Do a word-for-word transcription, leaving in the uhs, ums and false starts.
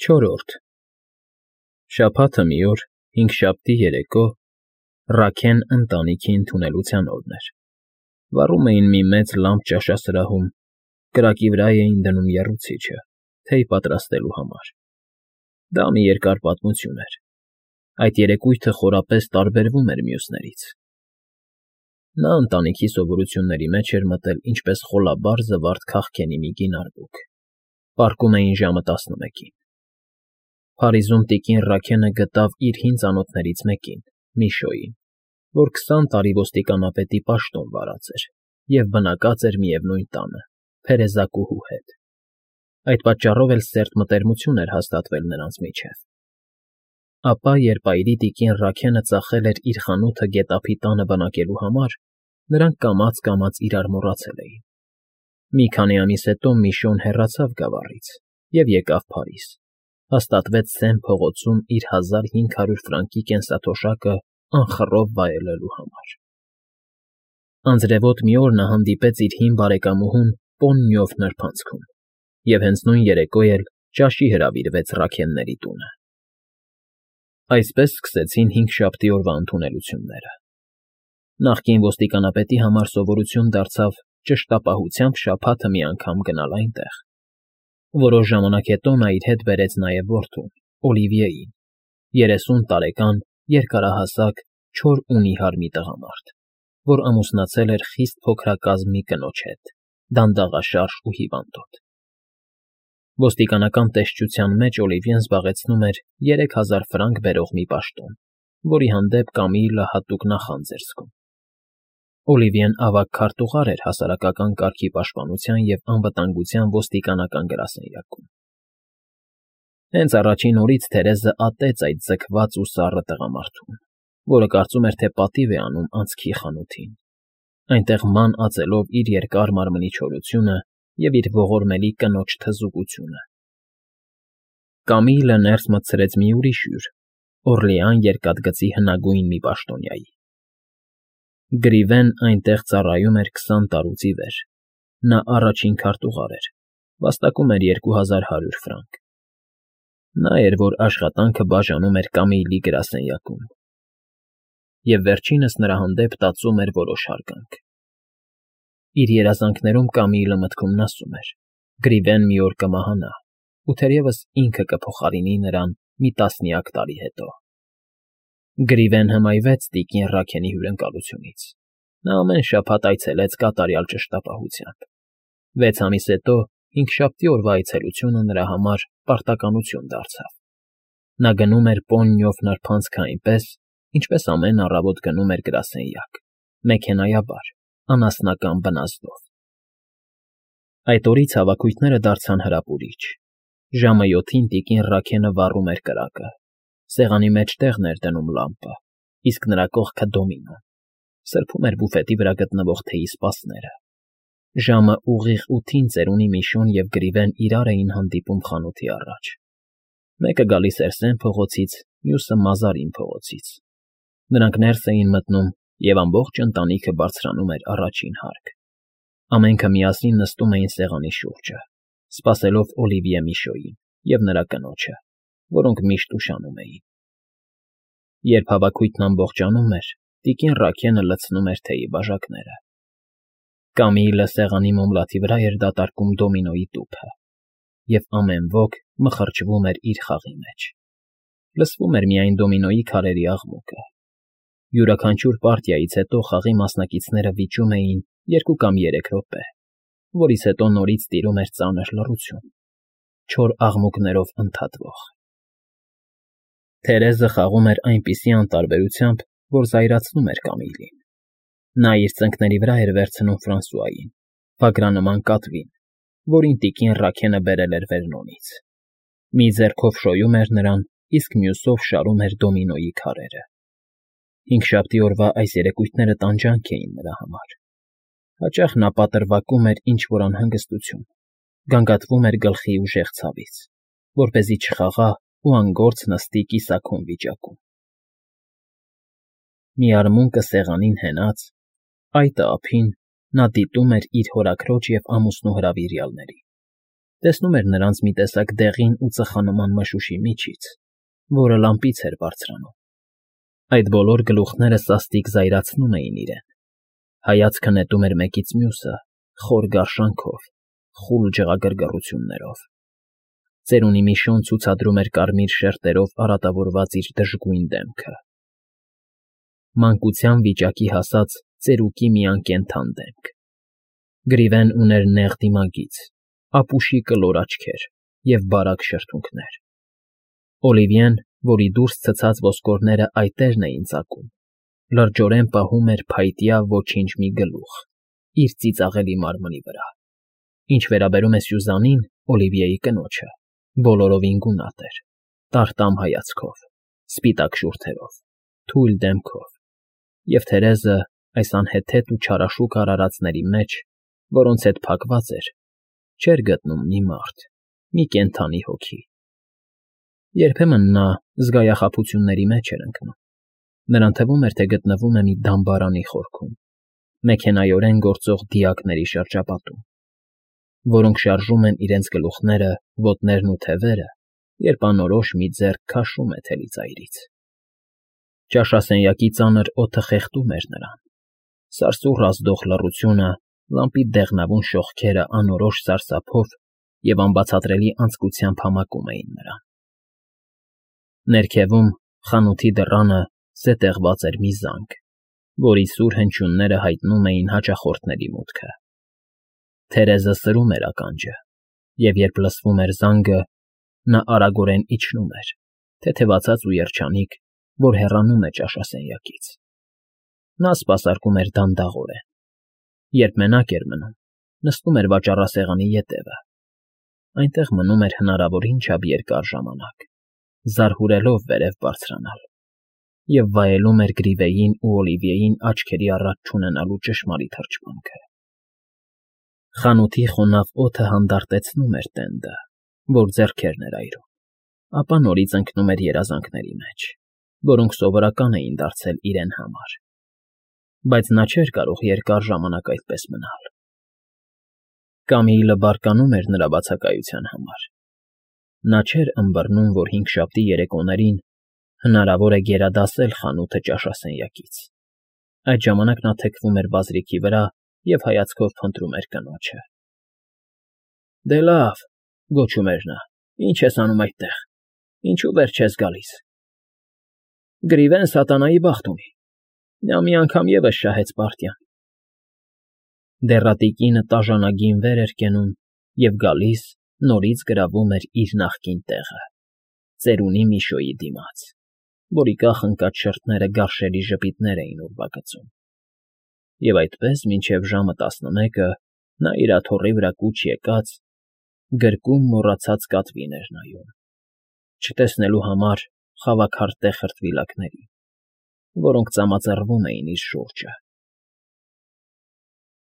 Չորրորդ Շաբաթը մի օր, հինգշաբթի երեկո, Ռաքեն ընտանիքի ընդունելության օրն էր, վառում էին մի մեծ լամբ ճաշասրահում, կրակի վրա էին դնում եռուցիչը, թեյ պատրաստելու համար. դա մի երկար պատմություն էր, այդ երեկույթը խորապես տարբերվում էր մյուսներից. նա ընտանիքի սովորությունների մեջ էր մտել ինչպես խոլաբար զվարթ քաղքենի մի կին արբուք, պառկում էին ժամը տասնմեկին. Փարիզում տիկին Ռաքենը գտավ իր հին ծանոթներից մեկին, Միշոյին, որ քսան տարի ոստիկանապետի պաշտոն վարած էր և բնակած էր միևնույն տանը, փերեզակուհու հետ. այդ պատճառով էլ սերտ մտերմություն էր հաստատվել նրանց միջև. Ապա, երբ այրի տիկին Ռաքենը ծախել էր իր խանութը գետափի տանը բնակելու համար, նրանք կամաց֊կամաց իրար մոռացել էին. մի քանի ամիս հետո Միշոն հեռացավ գավառից և եկավ Փարիզ, հաստատվեց Սեն փողոցում իր հազար հինգ հարյուր ֆրանկի կենսաթոշակը անխռով վայելելու համար. Անձրևոտ մի օր նա հանդիպեց իր հին բարեկամուհուն Պոննյով նրբանցքում և հենց նույն երեկո էլ ճաշի հրավիրվեց Ռաքենների տունը. Այսպես սկսեցին հինգշաբթի օրվա ընդունելությունները. նախկին ոստիկանապետի համար սովորություն դարձավ ճշտապահությամբ շաբաթը մի անգամ գնալ այնտեղ. որոշ ժամանակ հետո նա իր հետ բերեց նաև որդուն, Օլիվիեին, երեսուն տարեկան, երկարահասակ, չոր ու նիհար մի տղամարդ, որ ամուսնացել էր խիստ փոքրակազմ մի կնոջ հետ, դանդաղաշարժ ու հիվանդոտ. Ոստիկանական տեսչության մեջ Օլիվիեն զբաղեցնում էր երեք հազար ֆրանկ բերող մի պաշտոն, որի հանդեպ Կամիլը հատուկ նախանձ էր զգում. Օլիվիեն ավագ քարտուղար էր հասարակական կարգի պաշտպանության և անվտանգության ոստիկանական գրասենյակում. Հենց առաջին օրից Թերեզը ատեց այդ ձգված ու սառը տղամարդուն, որը կարծում էր, թե պատիվ է անում անցքի խանութին, այնտեղ ման ածելով իր երկար մարմնի չորությունը և իր ողորմելի կնոջ թզուկությունը. Կամիլը ներս մտցրեց մի ուրիշ հյուր, Օռլեան երկաթգծի հնագույն մի պաշտոնյայի. Գրիվեն այնտեղ ծառայում էր քսան տարուց ի վեր, նա առաջին քարտուղար էր, վաստակում էր երկու հազար հարյուր ֆրանկ. նա էր, որ աշխատանքը բաժանում էր Կամիլի գրասենյակում, և վերջինս նրա հանդեպ տածում էր որոշ հարգանք. իր երազանքներում Կամիլը մտքումն ասում էր. Գրիվեն մի օր կմահանա, ու թերևս ինքը կփոխարինի նրան մի տասնյակ տարի հետո. Գրիվեն հմայվեց տիկին Ռաքենի հյուրընկալությունից. նա ամեն շաբաթ այցելեց կատարյալ ճշտապահությամբ. վեց ամիս հետո հինգշաբթի օրվա այցելությունը նրա համար պարտականություն դարձավ. նա գնում էր Պոննյով նրբանցքը այնպես, ինչպես ամեն առավոտ գնում էր գրասենյակ, մեքենայաբար, անասնական բնազդով. Այդ օրից հավաքույթները դարձան հրապուրիչ. ժամը յոթին տիկին Ռաքենը վառում էր կրակը, սեղանի մեջ տեղն էր դնում լամպը, իսկ նրա կողքը դոմինոն, սրբում էր բուֆետի վրա գտնվող թեյի սպասները. ժամը ուղիղ ութին ծերունի Միշոն և Գրիվեն իրար էին հանդիպում խանութի առաջ. մեկը գալիս էր Սեն փողոցից, մյուսը Մազարին փողոցից. նրանք ներս էին մտնում, և ամբողջ ընտանիքը բարձրանում էր առաջին հարկ. ամենքը միասին նստում էին սեղանի շուրջը, սպասելով Օլիվիե Միշոյին և նրա կնոջը, որոնք միշտ ուշանում էին. Երբ հավաքույթն ամբողջանում էր, տիկին Ռաքենը լցնում էր թեյի բաժակները. Կամիլը սեղանի մոմլաթի վրա էր դատարկում դոմինոյի տուփը, և ամեն ոք մխրճվում էր իր խաղի մեջ. լսվում էր միայն դոմինոյի քարերի աղմուկը. յուրաքանչյուր պարտիայից հետո խաղի մասնակիցները վիճում էին երկու կամ երեք րոպե, որից հետո նորից տիրում էր ծանր լռություն, չոր աղմուկներով ընդհատվող. Թերեզը խաղում էր այնպիսի անտարբերությամբ, որ զայրացնում էր Կամիլին. նա իր ծնկների վրա էր վերցնում Ֆրանսուային, վագրանման կատվին, որին տիկին Ռաքենը բերել էր Վերնոնից. մի ձեռքով շոյում էր նրան, իսկ մյուսով շարում էր դոմինոյի քարերը. Հինգշաբթի օրվա այս երեկույթները տանջանք էին նրա համար. հաճախ նա պատրվակում էր ինչ֊որ անհանգստություն, գանգատվում էր գլխի ուժեղ ցավից, որպեսզի չխաղա ու անգործ նստի կիսաքուն վիճակում. Մի արմունկը սեղանին հենած, այտը ափին, նա դիտում էր իր հորաքրոջ և ամուսնու հրավիրյալներին, Տեսնում էր նրանց մի տեսակ դեղին ու ծխանման մշուշի միջից, որը լամպից էր բարձրանում։ Այդ բոլոր գլուխները սաստիկ զայրացնում էին իրեն, հայացքը նետում էր մեկից մյուսը խոր գարշանքով, խուլ ջղագրգռություններով։ Ծերունի մի շուն ցուցադրում էր կարմիր շերտերով արատավորված իր դժգույն դեմքը։ Մանկության վիճակի հասած ծերուկի մի անկենդան դեմք։ Գրիվեն ուներ նեղ դիմագիծ, ապուշի կլոր աչքեր և բարակ շրթունքներ։ Օլիվիեն, որի դուրս ցցած ոսկորները այտերն էին ծակում, լրջորեն պահում էր փայտյա ոչինչ մի գլուխ իր ծիծաղելի մարմնի վրա։ Ինչ վերաբերում է Սյուզանին, Օլիվիեի կնոջը, բոլորովին գունատ էր, տարտամ հայացքով, սպիտակ շուրթերով, թույլ դեմքով, և Թերեզը այս անհեթեթ ու չարաշուք արարածների մեջ, որոնց հետ փակված էր, չէր գտնում մի մարդ, մի կենդանի հոգի։ Երբեմն նա զգայախաբությունների մեջ էր ընկնում։ Նրան թվում էր, թե գտնվում է մի դամբարանի խորքում, մեքենայորեն գործող դիակների շրջապատում, որոնք շարժում են իրենց գլուխները, ոտներն ու թևերը, երբ անորոշ մի ձեռք քաշում է թելիծայրից։ Ճաշասենյակի ծանր օդը խեղդում էր նրան։ Սարսուռ ազդող լռությունը, լամպի դեղնավուն շողքերը անորոշ սարսափով և անբացատրելի անձկությամբ համակում էին նրան։ Ներքևում, խանութի դռանը, զետեղված էր մի զանգ, որի սուր հնչյունները հայտնում էին հաճախորդների մուտքը։ Թերեզը սրում էր ականջը, և երբ լսվում էր զանգը, նա արագորեն իջնում էր, թեթևացած ու երջանիկ, որ հեռանում է ճաշասենյակից։ Նա սպասարկում էր դանդաղորեն։ Երբ մենակ էր մնում, նստում էր վաճառասեղանի ետևը։ Այնտեղ մնում էր հնարավոր ինչափ երկար ժամանակ, զարհուրելով վերև բարձրանալ, և վայելում էր Գրիվեյին ու Օլիվիեին աչքերի առաջ չունենալու ճշմարիտ հրճվանքը։ Խանութի խոնավ օդը հանդարտեցնում էր տենդը, որ ձեռքերն էր այրում, ապա նորից ընկնում էր երազանքների մեջ, որոնք սովորական էին դարձել իրեն համար։ Բայց նա չէր կարող երկար ժամանակ այդպես մնալ։ Կամիլը բարկանում էր նրա բացակայության համար։ Նա չէր ըմբռնում, որ հինգշաբթի երեկոներին հնարավոր է գերադասել խանութը ճաշասենյակից։ Այդ ժամանակ նա թեքվում էր բազրիքի վրա և հայացքով փնտրում էր կնոջը։ ֊ Դե լավ,֊ գոչում էր նա,֊ ի՞նչ ես անում այդտեղ, ինչո՞ւ վեր չես գալիս։ Գրիվեն սատանայի բախտ ունի, նա մի անգամ ևս շահեց պարտյան։ Դեռատի կինը տաժանագին վեր էր կենում և գալիս, նորից գրավում էր իր նախկին տեղը, ծերունի Միշոյի դիմաց, որի կախ ընկած շրթները գարշելի ժպիտներ էին ուրվագծում։ Եվ այդպես մինչև ժամը տասնմեկը նա իր աթոռի վրա կուչ եկած, գրկում մոռացած կատվին էր նայում, չտեսնելու համար խավաքարտե խրտվիլակներին, որոնք ծամածռվում էին իր շուրջը։